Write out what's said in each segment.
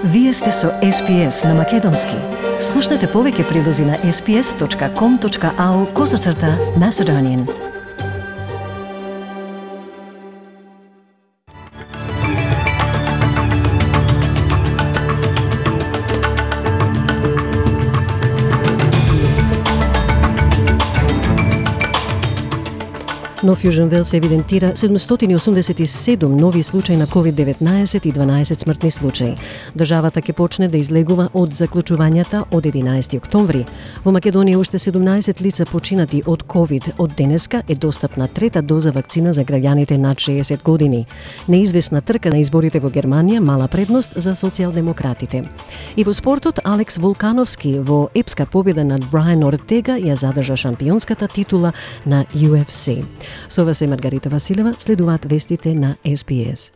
Вие сте со SPS на Македонски. Слушнете повеќе прилози на sps.com.au/Macedonian. Но Южен Велс евидентира 787 нови случаи на COVID-19 и 12 смртни случаи. Државата ќе почне да излегува од заклучувањата од 11 октомври. Во Македонија уште 17 лица починати од COVID. Од денеска е достапна трета доза вакцина за граѓаните над 60 години. Неизвестна трка на изборите во Германија, мала предност за социјалдемократите. И во спортот, Алекс Волкановски во епска победа над Брайан Ортега ја задржа шампионската титула на UFC. Со вас е Маргарита Василева, следуваат вестите на SPS.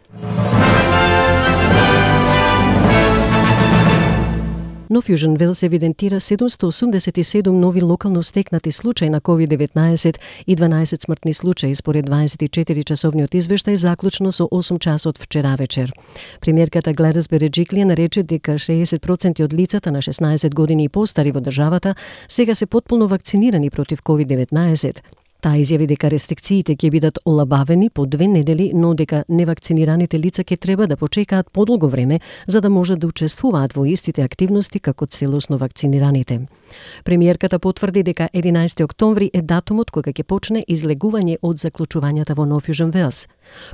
Нов Южен Велс евидентира 787 нови локално стекнати случаи на COVID-19 и 12 смртни случаи според 24-часовниот извештај заклучно со 8 часот вчера вечер. Премиерката Гледис Береджиклија нарече дека 60% од лицата на 16 години и постари во државата сега се потполно вакцинирани против COVID-19. Таа изјави дека рестрикциите ќе бидат олабавени по 2 недели, но дека невакцинираните лица ќе треба да почекаат подолго време за да можат да учествуваат во истите активности како целосно вакцинираните. Премиерката потврди дека 11 октомври е датумот кога ќе почне излегување од заклучувањата во Нов Южен Велс.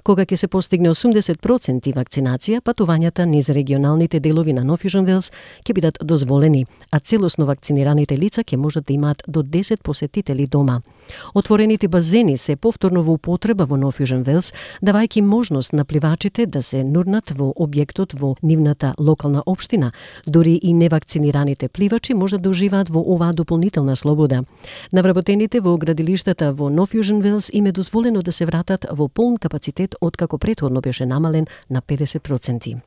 Кога ќе се постигне 80% вакцинација, патувањата низ регионалните делови на Нов Южен Велс ќе бидат дозволени, а целосно вакцинираните лица ќе можат да имаат до 10 посетители дома. Отворените базени се повторно во употреба во Нов Южен Велс, давајќи можност на пливачите да се нурнат во објектот во нивната локална општина. Дури и невакцинираните пливачи можат да уживаат во оваа дополнителна слобода. На вработените во градилиштата во Нов Южен Велс им е дозволено да се вратат во полн капацитет откако претходно беше намален на 50%.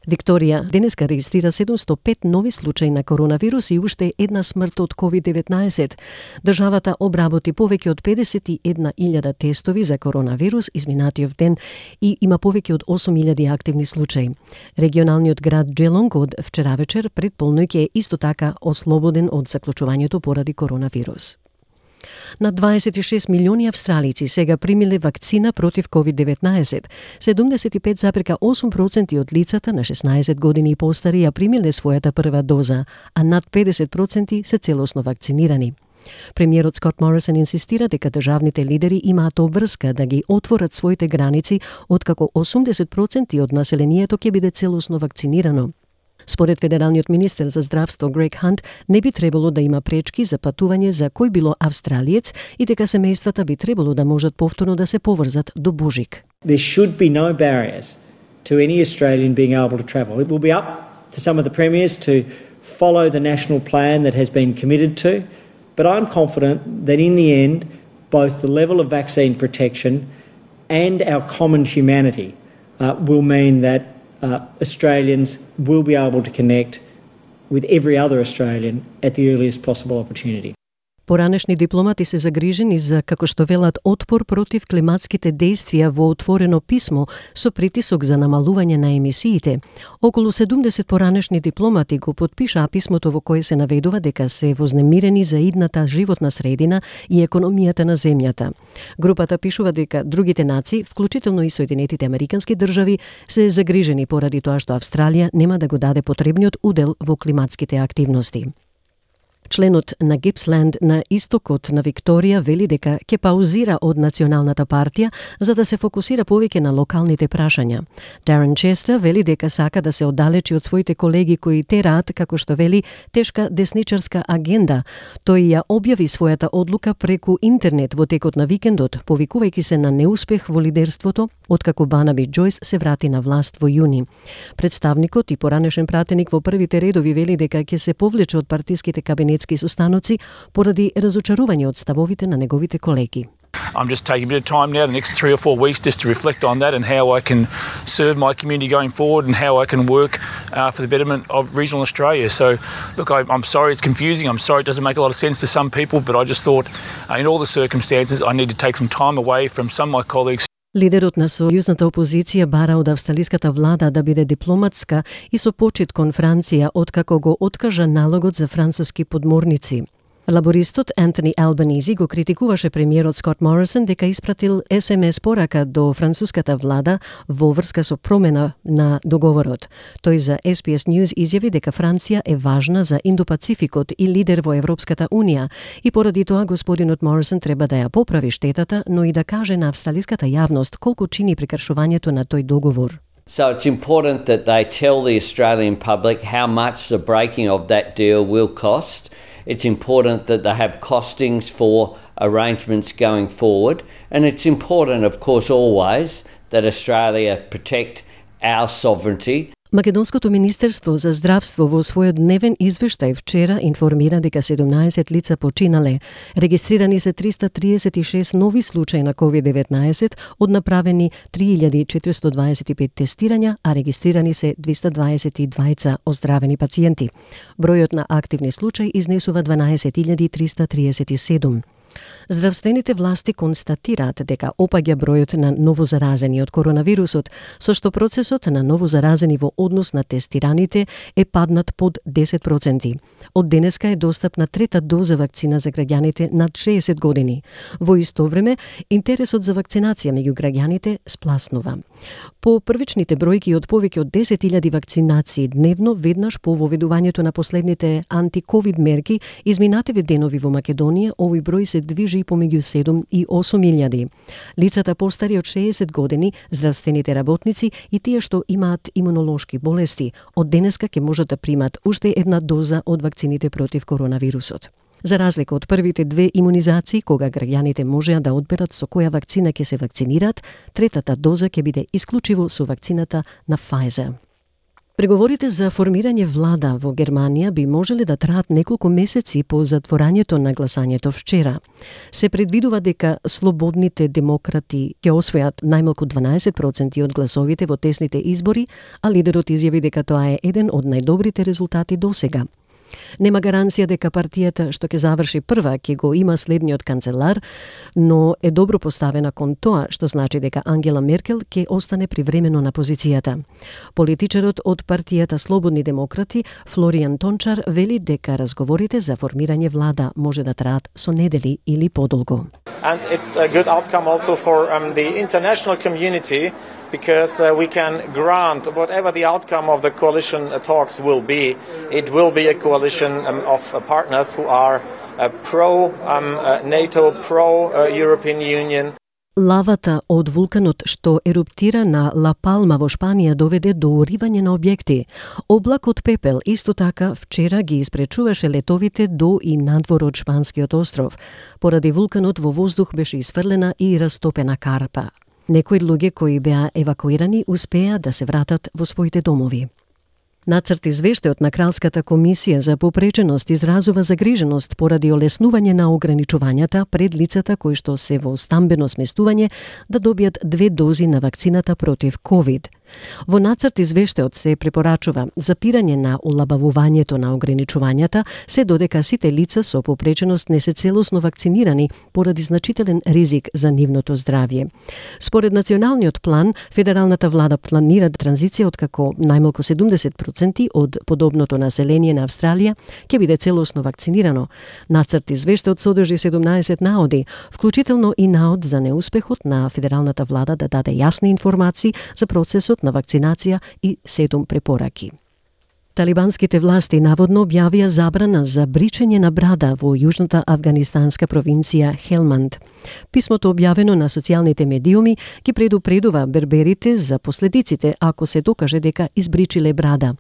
Викторија денеска регистрира 705 нови случаи на коронавирус и уште една смрт од COVID-19. Државата обработи повеќе од 51.000 тестови за коронавирус изминатиот ден и има повеќе од 8.000 активни случаи. Регионалниот град Джелонг од вчера вечер пред полноќ е исто така ослободен од заклучувањето поради коронавирус. На 26 милиони австралици сега примиле вакцина против COVID-19. 75,8% од лицата на 16 години и постари ја примиле својата прва доза, а над 50% се целосно вакцинирани. Премиерот Скот Морисон инсистира дека државните лидери имаат обврска да ги отворат своите граници откако 80% од населението ќе биде целосно вакцинирано. Според федералниот министер за здравство Грег Хант, не би требало да има пречки за патување за кој било австралиец и дека семејствата би требало да можат повторно да се поврзат до Божик. There should be no barriers to any Australian being able to travel. It will be up to some of the premiers to follow the national plan that has been committed to, but I'm confident that in the end, both the level of vaccine protection and our common humanity will mean that Australians will be able to connect with every other Australian at the earliest possible opportunity. Поранешни дипломати се загрижени за, како што велат, отпор против климатските дејствија во отворено писмо со притисок за намалување на емисиите. Околу 70 поранешни дипломати го потпишаа писмото во кое се наведува дека се вознемирени за идната животна средина и економијата на земјата. Групата пишува дека другите нации, вклучително и Соединетите Американски држави, се загрижени поради тоа што Австралија нема да го даде потребниот удел во климатските активности. Членот на Гипсленд на истокот на Викторија вели дека ќе паузира од Националната партија за да се фокусира повеќе на локалните прашања. Дарен Честер вели дека сака да се оддалечи од своите колеги кои тераат, како што вели, тешка десничарска агенда. Тој ја објави својата одлука преку интернет во текот на викендот, повикувајќи се на неуспех во лидерството, откако Барнаби Џојс се врати на власт во јуни. Представникот и поранешен пратеник во првите редови вели дека ќе се повлече од партиските кабинетски состаноци поради разочарување од ставовите на неговите колеги. I'm just taking a bit of time now, the next 3 or 4 weeks, just to reflect on that and how I can serve my community going forward and how I can work for the betterment of regional Australia. So, look, I'm sorry it's confusing. I'm sorry it doesn't make a lot of sense to some people, but I just thought in all the circumstances I need to take some time away from some of my colleagues. Лидерот на сојузната опозиција бара од австралиската влада да биде дипломатска и со почит кон Франција откако го откажа налогот за француски подморници. Лабористот Антони Албанизи го критикуваше премиерот Скот Морисон дека испратил СМС порака до француската влада во врска со промена на договорот. Тој за SBS News изјави дека Франција е важна за Индопацификот и лидер во Европската Унија и поради тоа господинот Морисон треба да ја поправи штетата, но и да каже на австралиската јавност колку чини прекршувањето на тој договор. So it's important that they tell the Australian public how much the breaking of that deal will cost. It's important that they have costings for arrangements going forward. And it's important, of course, always that Australia protect our sovereignty. Македонското министерство за здравство во својот дневен извештај вчера информира дека 17 лица починале. Регистрирани се 336 нови случаи на COVID-19 од направени 3425 тестирања, а регистрирани се 222 оздравени пациенти. Бројот на активни случаи изнесува 12337. Здравствените власти констатираат дека опаѓа бројот на новозаразени од коронавирусот, со што процесот на новозаразени во однос на тестираните е паднат под 10%. Од денеска е достапна трета доза вакцина за граѓаните над 60 години. Во исто време, интересот за вакцинација меѓу граѓаните спласнува. По првичните бројки од повеќе од 10.000 вакцинации дневно, веднаш по воведувањето на последните анти-ковид мерки, изминативе денови во Македонија, овој број се движи помеѓу 7 и 8.000. Лицата постари од 60 години, здравствените работници и тие што имаат имунолошки болести, од денеска ќе можат да примат уште една доза од вакцините против коронавирусот. За разлика од првите две имунизации, кога граѓаните можеа да одберат со која вакцина ќе се вакцинираат, третата доза ќе биде исклучиво со вакцината на Pfizer. Преговорите за формирање влада во Германија би можеле да траат неколку месеци по затворањето на гласањето вчера. Се предвидува дека слободните демократи ќе освојат најмалку 12% од гласовите во тесните избори, а лидерот изјави дека тоа е еден од најдобрите резултати досега. Нема гаранција дека партијата што ќе заврши прва ќе го има следниот канцелар, но е добро поставена кон тоа, што значи дека Ангела Меркел ќе остане привремено на позицијата. Политичарот од партијата Слободни демократи, Флориан Тончар, вели дека разговорите за формирање влада може да траат со недели или подолго. And it's a good outcome also for the international community because we can grant whatever the outcome of the coalition talks will be, it will be a coalition of partners who are pro-NATO, pro-European Union. Лавата од вулканот што еруптира на Ла Палма во Шпанија доведе до уривање на објекти. Облак од пепел исто така вчера ги испречуваше летовите до и надвор од шпанскиот остров. Поради вулканот во воздух беше isfрлена и растопена карпа. Некои луѓе кои беа евакуирани успеа да се вратат во своите домови. Нацрт извештајот на Кралската комисија за попреченост изразува загриженост поради олеснување на ограничувањата пред лицата кои што се во стамбено сместување да добијат 2 дози на вакцината против COVID. Во нацрт извештајот се препорачува запирање на олабавувањето на ограничувањата, се додека сите лица со попреченост не се целосно вакцинирани поради значителен ризик за нивното здравје. Според националниот план, федералната влада планира транзиција откако најмалку 70% од подобното население на Австралија ќе биде целосно вакцинирано. Нацрт извештајот содржи 17 наоди, вклучително и наод за неуспехот на федералната влада да даде јасни информации за процесот на вакцинација и 7 препораки. Талибанските власти наводно објавија забрана за бричење на брада во јужната афганистанска провинција Хелманд. Писмото објавено на социјалните медиуми ги предупредува берберите за последиците ако се докаже дека избричиле брада.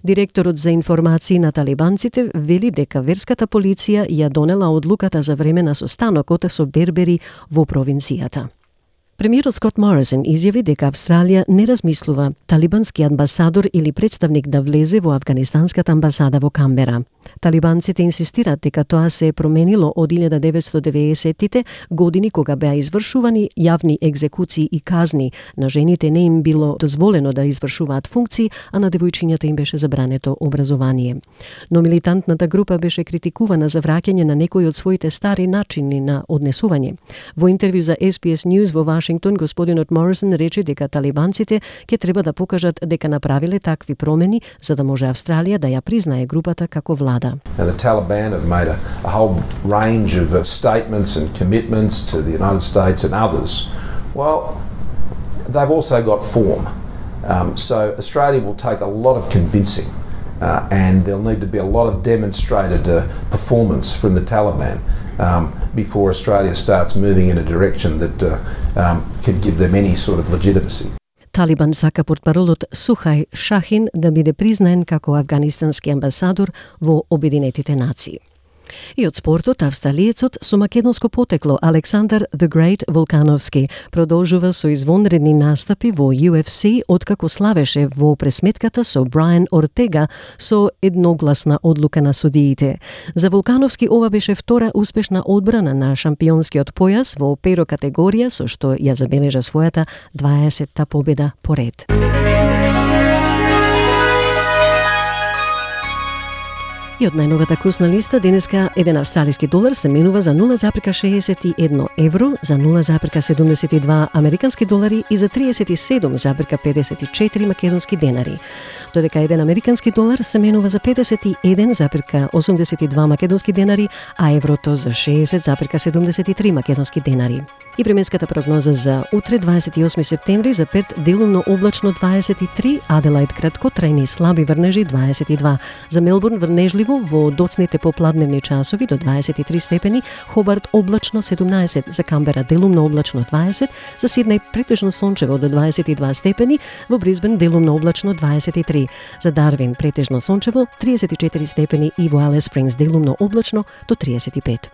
Директорот за информации на талибанците вели дека верската полиција ја донела одлуката за време на состанокот со бербери во провинцијата. Премиерот Скот Морисон изјави дека Австралија не размислува талибански амбасадор или представник да влезе во афганистанската амбасада во Камбера. Талибанците инсистираат дека тоа се променило од 1990-тите години кога беа извршувани јавни екзекуции и казни. На жените не им било дозволено да извршуваат функции, а на девојчињата им беше забрането образование. Но милитантната група беше критикувана за враќање на некои од своите стари начини на однесување. Во интервју за SBS News во Вашингтон, Вашингтон, господинот Морисон рече дека талибанците ќе треба да покажат дека направиле такви промени за да може Австралија да ја признае групата како влада. Now, the Taliban have made a whole range of statements and commitments to the United States and others. Well, they've also got form. So Australia will take a lot of convincing and there'll need to be a lot of demonstrated performance from the Taliban before Australia starts moving in a direction that can give them any sort of legitimacy. Талибан сака портпаролот Сухај Шахин да биде признаен како афганистански амбасадор во Обединетите нации. И од спортот, австралиецот со македонско потекло Александар The Great Волкановски продолжува со извонредни настапи во UFC откако славеше во пресметката со Брайан Ортега со едногласна одлука на судиите. За Волкановски ова беше втора успешна одбрана на шампионскиот појас во перо категорија со што ја забележа својата 20-та победа поред. И од најновата курсна листа денеска еден австралиски долар се менува за 0,61 евро, за 0,72 американски долари и за 37,54 македонски денари. Додека еден американски долар се менува за 51,82 македонски денари, а еврото за 60,73 македонски денари. И временската прогноза за утре 28 септември за Перт делумно облачно 23, Аделаид краткотрајни слаби врнежи 22, за Мелбурн врнежливо во доцните попладневни часови до 23 степени, Хобарт облачно 17, за Камбера делумно облачно 20, за Сиднеј претежно сончево до 22 степени, во Брисбен делумно облачно 23, за Дарвин претежно сончево 34 степени и во Алис Спрингс делумно облачно до 35.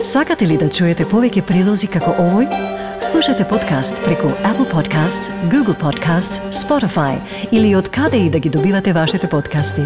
Сакате ли да чуете повеќе прилози како овој? Слушате подкаст преку Apple Podcasts, Google Podcasts, Spotify или од каде и да ги добивате вашите подкасти.